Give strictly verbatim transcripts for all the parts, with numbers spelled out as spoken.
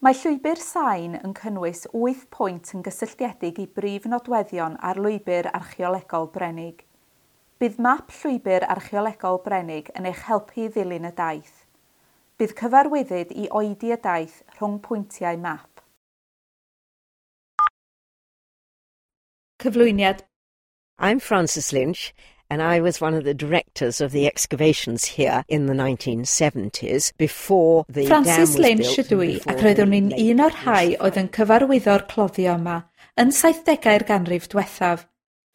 Mae llwybr sain yn cynnwys wyth pwynt yn gysylltiedig i brif nodweddion ar lwybr archeolegol Brenig. Bydd map llwybr archeolegol Brenig yn eich helpu i ddilyn y daith. Bydd cyfarwyddyd i oedi y daith rhwng pwyntiau map. Cyflwyniad. I'm Frances Lynch, and I was one of the directors of the excavations here in the nineteen seventies before the Frances dam was Lynch built ydw i, and before ac roeddwn i'n the un o'r lake rhai was oedd yn cyfarwyddo'r cloddio yma yn saithdegau'r ganrif diwethaf,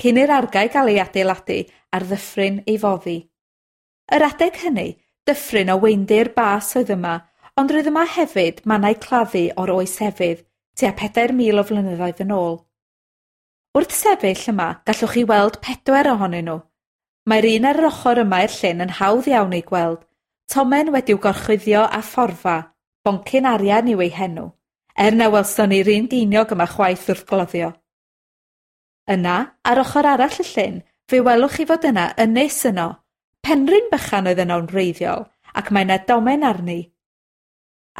cyn i'r argae gael ei adeiladu ar ddyffryn ei foddi. Yr adeg hynny, dyffryn o weindir bas oedd yma, ond roedd yma hefyd mannau claddu o'r oes efydd, tua pedair mil o flynyddoedd yn ôl. Wrth sefyll yma, gallwch chi weld pedwar ohonyn nhw. Mae'r un ar yr ochr yma i'r llyn yn hawdd iawn ei gweld, tomen wedi'w gorchuddio â phorfa, boncyn arian yw ei henw, er na welson ni'r un geiniog yma chwaith wrth gloddio. Yna, ar ochr arall y llyn, fe welwch chi fod yna ynys yno, penrhyn bychan oedd yno'n wreiddiol, ac mae yna domen arni.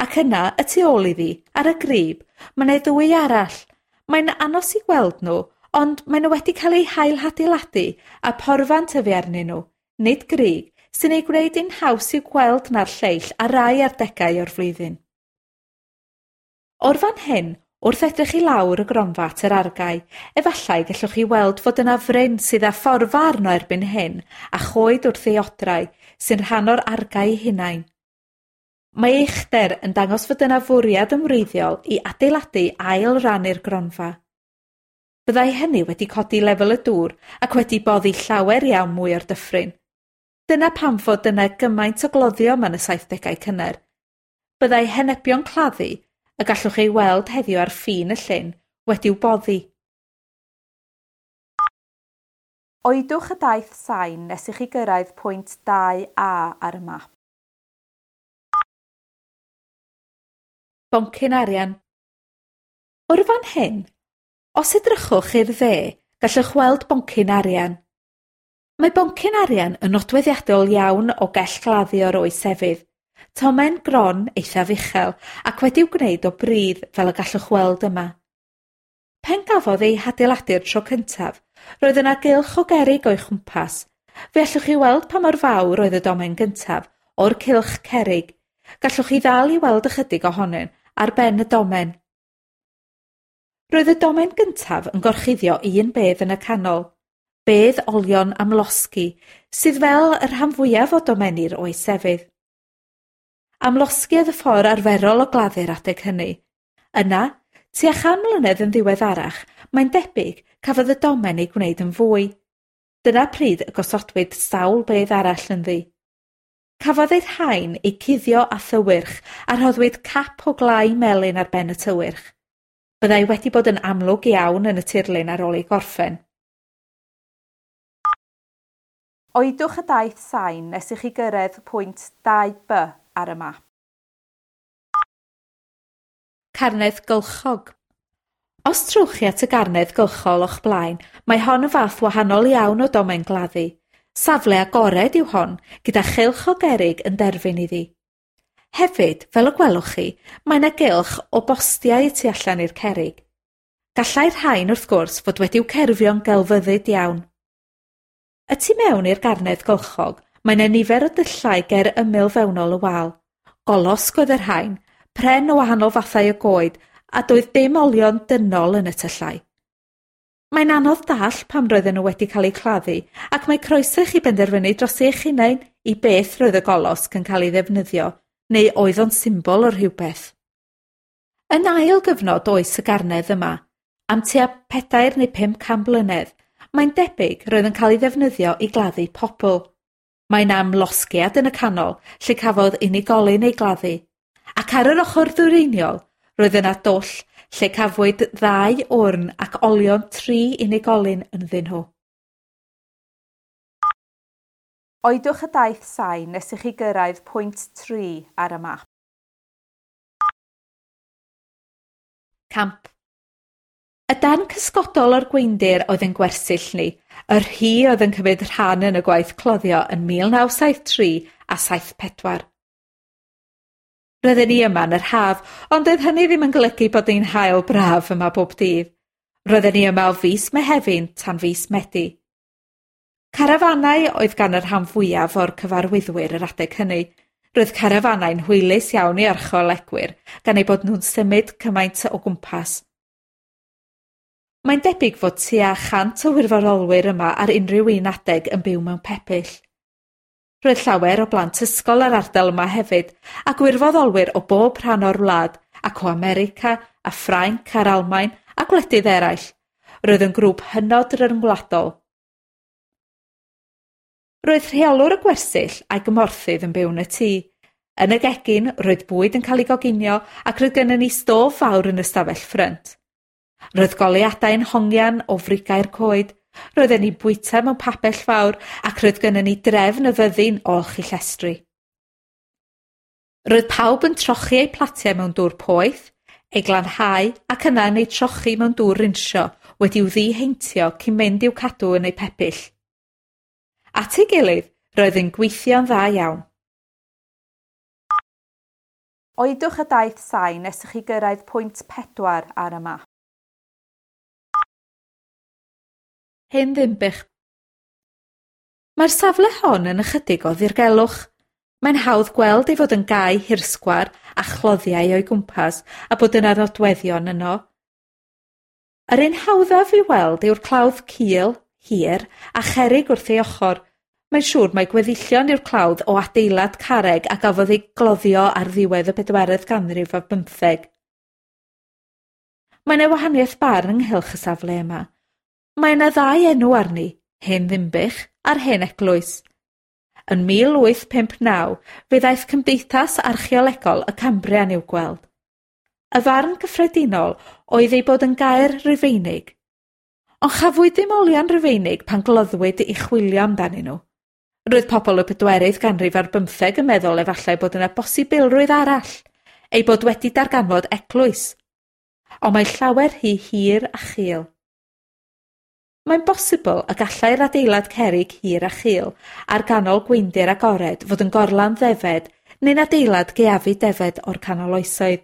Ac yna, y tu ôl iddi, ar y grib, mae yna ddwy arall. Mae'n anos i gweld nhw, ond maen nhw wedi cael eu hail-hadeiladu a porfa'n tyfu arnyn nhw, nid grug, sy'n ei gwneud hi'n haws i'w gweld na'r lleill ar rai adegau o'r flwyddyn. O'r fan hyn, wrth edrych i lawr y gronfa at yr argae, efallai gallwch chi weld fod yna fryn sydd â phorfa arno erbyn hyn a choed wrth ei odrau sy'n rhan o'r argae ei hunain. Mae uchder yn dangos fod yna fwriad ymwreiddiol i adeiladu ail ran i'r gronfa. Byddai hynny wedi codi lefel y dŵr ac wedi boddi llawer iawn mwy o'r dyffryn. Dyna pam fod yna gymaint o gloddio yma yn y saithdegau cynnar. Byddai henebion claddu, y gallwch ei weld heddiw ar ffin y llyn, wedi'w boddi. Oedwch y daith sain nes i chi gyrraedd pwynt dau A ar y map. Boncyn arian. O'r fan hyn, os edrychwch i'r dde, gallwch weld boncyn arian. Mae boncyn arian yn nodweddiadol iawn o gell gladdu o'r oes efydd. Tomen gron eithaf uchel ac wedi'w gwneud o bridd fel y gallwch weld yma. Pen gafodd ei hadeiladu'r tro cyntaf, roedd yna gylch o gerrig o'i chwmpas. Fe allwch chi weld pa mor fawr oedd y domen gyntaf o'r cylch cerrig. Gallwch chi ddal i weld ychydig ohonyn ar ben y domen. Roedd y domen gyntaf yn gorchuddio un bedd yn y canol, bedd olion amlosgi, sydd fel y rhan fwyaf o domeni'r oes efydd. Amlosgi oedd y ffordd arferol o gladdu'r adeg hynny. Yna, tua chan mlynedd yn ddiweddarach, mae'n debyg cafodd y domen ei gwneud yn fwy. Dyna pryd y gosodwyd sawl bedd arall ynddi. Cafodd ei rhain eu cuddio â thywyrch a rhoddwyd cap o glai melyn ar ben y tywyrch. Byddai wedi bod yn amlwg iawn yn y tirlun ar ôl ei gorffen. Oedwch y daith sain nes i chi gyrraedd pwynt dau B ar y map. Carnedd gylchog. Os trowch chi at y garnedd gylchol o'ch blaen, mae hon yn fath wahanol iawn o domen gladdu. Safle agored yw hon, gyda chylch o gerrig yn derfyn iddi. Hefyd, fel y gwelwch chi, mae yna gylch o bostiau y tu allan i'r cerrig. Gallai'r rhain, wrth gwrs, fod wedi'w cerfio'n gelfyddyd iawn. Y tu mewn i'r garnedd gylchog, mae yna nifer o dyllau ger ymyl fewnol y wal. Golosg oedd y rhain, pren o wahanol fathau o goed, a doedd dim olion dynol yn y tyllau. Mae'n anodd dall pam roedden nhw wedi cael eu claddu, ac mae croeso i chi benderfynu dros eich hunain i beth roedd y golosg yn cael ei ddefnyddio, neu oedd o'n symbol o rhywbeth. Yn ail gyfnod oes y garnedd yma, am tua pedair neu pum can blynedd, mae'n debyg roedd yn cael ei ddefnyddio i gladdu pobl. Mae'n amlosgiad yn y canol, lle cafodd unigolyn ei gladdu, ac ar yr ochr ddwyreiniol, roedd yna dwll lle cafwyd ddau wrn ac olion tri unigolyn ynddyn nhw. Oedwch y daith sain nes i chi gyrraedd pwynt tri ar y map. Camp. Y darn cysgodol o'r gweindir oedd yn gwersyll ni, yr hi oedd yn cymryd rhan yn y gwaith cloddio yn mil naw saith tri a saith pedwar. Roedden ni yma yn yr haf, ond doedd hynny ddim yn golygu bod ni'n haul braf yma bob dydd. Roedden ni yma o fis Mehefin tan fis Medi. Carafanau oedd gan y rhan fwyaf o'r cyfarwyddwyr yr adeg hynny. Roedd carafanau'n hwylus iawn i archeolegwyr, gan eu bod nhw'n symud cymaint o gwmpas. Mae'n debyg fod tua chant o wirfoddolwyr yma ar unrhyw un adeg yn byw mewn pebyll. Roedd llawer o blant ysgol yr ardal yma hefyd, a gwirfoddolwyr o bob rhan o'r wlad, ac o America, a Ffrainc a'r Almaen, a gwledydd eraill. Roedd yn grŵp hynod ryngwladol. Roedd rheolwr y gwersyll a'i gymorthydd yn byw yn y tŷ. Yn y gegin, roedd bwyd yn cael ei goginio ac roedd gennym ni stof fawr yn y stafell ffrynt. Roedd goleuadau'n hongian o frigau'r coed. Roedden ni'n bwyta mewn pabell fawr ac roedd gennym ni drefn y fyddin o olchi llestri. Roedd pawb yn trochi eu platiau mewn dŵr poeth, eu glanhau ac yna yn eu trochi mewn dŵr rinsio wedi'w ddiheintio cyn mynd i'w cadw yn eu pebyll. At ei gilydd, roedd yn gweithio'n dda iawn. Oedwch y daith sain nes i chi gyrraedd pwynt pedwar ar y map. Hen Ddinbych. Mae'r safle hon yn ychydig o ddirgelwch. Mae'n hawdd gweld ei fod yn gae hirsgwar a chloddiau o'i gwmpas a bod yna nodweddion yno. Yr un hawddaf i weld yw'r clawdd cul, hir a cherrig wrth ei ochr. Mae'n siŵr mai gweddillion yw'r clawdd o adeilad carreg a gafodd ei gloddio ar ddiwedd y bedwaredd ganrif ar bymtheg. Mae yna wahaniaeth barn ynghylch y safle yma. Mae yna ddau enw arni, Hen Ddinbych a'r Hen Eglwys. Yn mil wyth pump naw, fe ddaeth Cymdeithas Archeolegol y Cambrian i'w gweld. Y farn gyffredinol oedd ei bod yn gaer Rufeinig. Ond chafwyd ddim olion Rufeinig pan gloddwyd i chwilio amdanyn nhw. Roedd pobl y pedwerydd ganrif ar bymtheg yn meddwl efallai bod yna bosibilrwydd arall, ei bod wedi darganfod eglwys. Ond mae llawer rhy hir a chul. Mae'n bosibl y gallai'r adeilad cerrig hir a chul ar ganol gweundir agored fod yn gorlan ddefed neu'n adeilad gaeafu defed o'r canol oesoedd.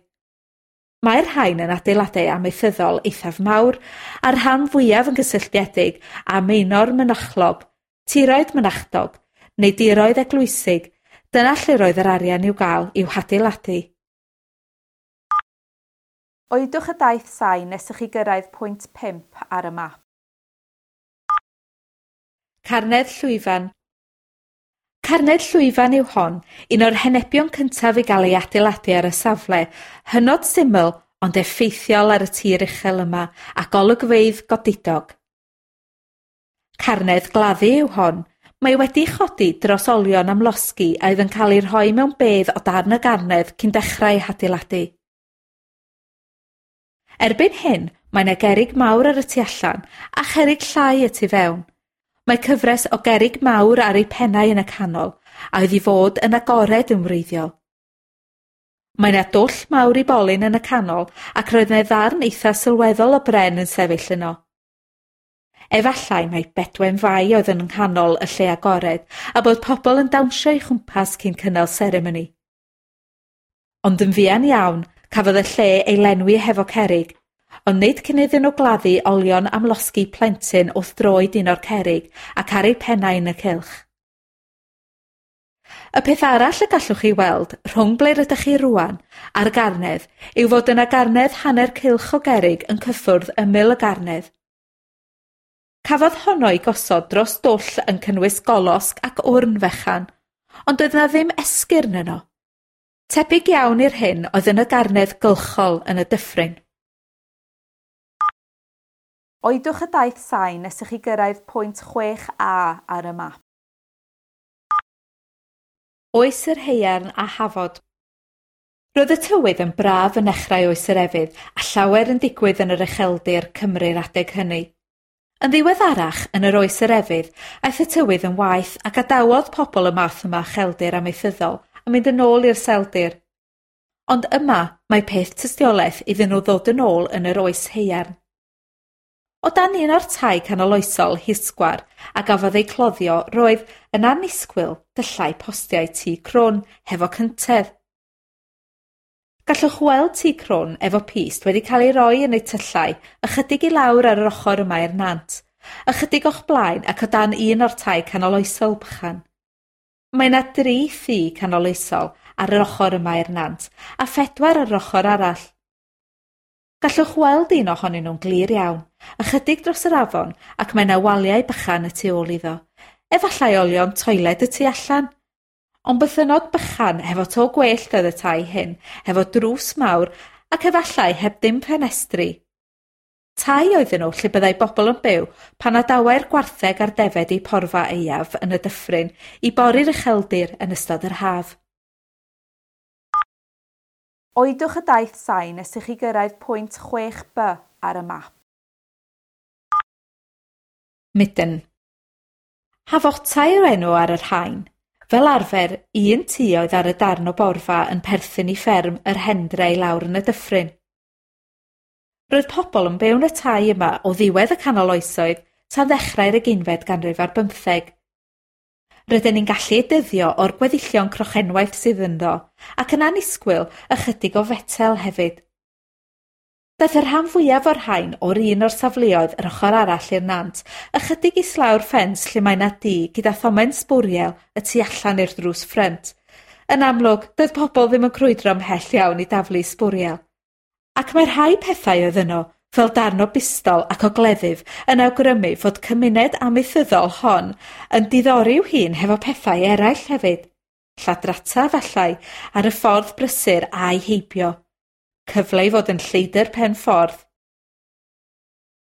Mae'r rhain yn adeiladau amaethyddol eithaf mawr a'r rhan fwyaf yn gysylltiedig â maenor mynachlog, tiroedd mynachdog neu diroedd eglwysig. Dyna lle roedd yr arian i'w gael i'w hadeiladu. Oedwch y daith sain nes i chi gyrraedd pwynt pump ar y map. Carnedd Llwyfan. Carnedd Llwyfan yw hon, un o'r henebion cyntaf i gael ei adeiladu ar y safle, hynod syml ond effeithiol ar y tir uchel yma a golygfeydd godidog. Carnedd gladdu yw hon, mae wedi chodi dros olion amlosgi a oedd yn cael ei rhoi mewn bedd o dan y garnedd cyn dechrau ei hadeiladu. Erbyn hyn, mae yna gerrig mawr ar y tu allan a cherrig llai y tu fewn. Mae cyfres o gerrig mawr ar eu pennau yn y canol, a oedd i fod yn agored yn wreiddiol. Mae yna dwll mawr i bolyn yn y canol ac roedd yna ddarn eitha sylweddol o bren yn sefyll yno. Efallai mai Bedwen Fai oedd yn nghanol y lle agored a bod pobl yn dawnsio ei chwmpas cyn cynnal seremoni. Ond yn fuan iawn, cafodd y lle ei lenwi hefo cerrig, ond nid cyn iddyn nhw gladdu olion amlosgi plentyn wrth droed un o'r cerrig ac ar eu pennau yn y cylch. Y peth arall y gallwch chi weld rhwng ble rydych chi rŵan a'r garnedd yw fod yna garnedd hanner cylch o gerrig yn cyffwrdd ymyl y garnedd. Cafodd honno ei gosod dros dwll yn cynnwys golosg ac wrn fechan, ond doedd yna ddim esgyrn yno. Tebyg iawn i'r hyn oedd yn y garnedd gylchol yn y dyffryn. Oedwch y daith sain nes i chi gyrraedd pwynt chwech A ar y map. Oes yr Haearn a Hafod. Roedd y tywydd yn braf yn nechrau oes yr efydd a llawer yn digwydd yn yr ucheldir Cymru'r adeg hynny. Yn ddiweddarach, yn yr oes yr efydd, aeth y tywydd yn waeth a gadawodd pobl y math yma ucheldir amaethyddol a mynd yn ôl i'r seldir. Ond yma mae peth tystiolaeth iddyn nhw ddod yn ôl yn yr oes haearn. O dan un o'r tai canoloesol hisgwar a gafodd ei cloddio roedd yn annisgwyl dyllau postiau tŷ crwn hefo cyntedd. Gallwch weld tŷ crwn efo pyst wedi cael ei roi yn eu tyllau ychydig i lawr ar yr ochr yma i'r nant, ychydig o'ch blaen ac o dan un o'r tai canoloesol bychan. Mae yna dri thŷ canoloesol ar yr ochr yma i'r nant a phedwar ar yr ochr arall. Gallwch weld un ohonyn nhw'n glir iawn, ychydig dros yr afon ac mae yna waliau bychan y tu ôl iddo. Efallai olion toiled y tu allan. Ond bythynnod bychan hefo to gwellt oedd y tai hyn, hefo drws mawr ac efallai heb dim ffenestri. Tai oedden nhw lle byddai bobl yn byw pan adawai'r gwartheg a'r defed eu porfa aeaf yn y dyffryn i bori'r ucheldir yn ystod yr haf. Oedwch y daith sain nes i chi gyrraedd pwynt chwech B ar y map. Midden. Hafotai yw'r enw ar y rhain. Fel arfer, un tŷ oedd ar y darn o borfa yn perthyn i fferm yr Hendre i lawr yn y dyffryn. Roedd pobl yn byw yn y tai yma o ddiwedd y canol oesoedd tan ddechrau'r ugeinfed ganrif ar bymtheg. Rydyn ni'n gallu ei dyddio o'r gweddillion crochenwaith sydd ynddo, ac yn annisgwyl ychydig o fetel hefyd. Daeth y rhan fwyaf o'r rhain o'r un o'r safleoedd yr ochr arall i'r nant, ychydig islaw'r ffens lle mae 'na dŷ gyda thomen sbwriel y tu allan i'r drws ffrynt. Yn amlwg, doedd pobl ddim yn crwydro ymhell iawn i daflu sbwriel. Ac mae rhai pethau oedd yno, fel darn o bistol ac o gleddyf, yn awgrymu fod cymuned amaethyddol hon yn diddori'w hun hefo pethau eraill hefyd. Lladrata efallai ar y ffordd brysur a'i heibio. Cyfle i fod yn lleidr pen ffordd.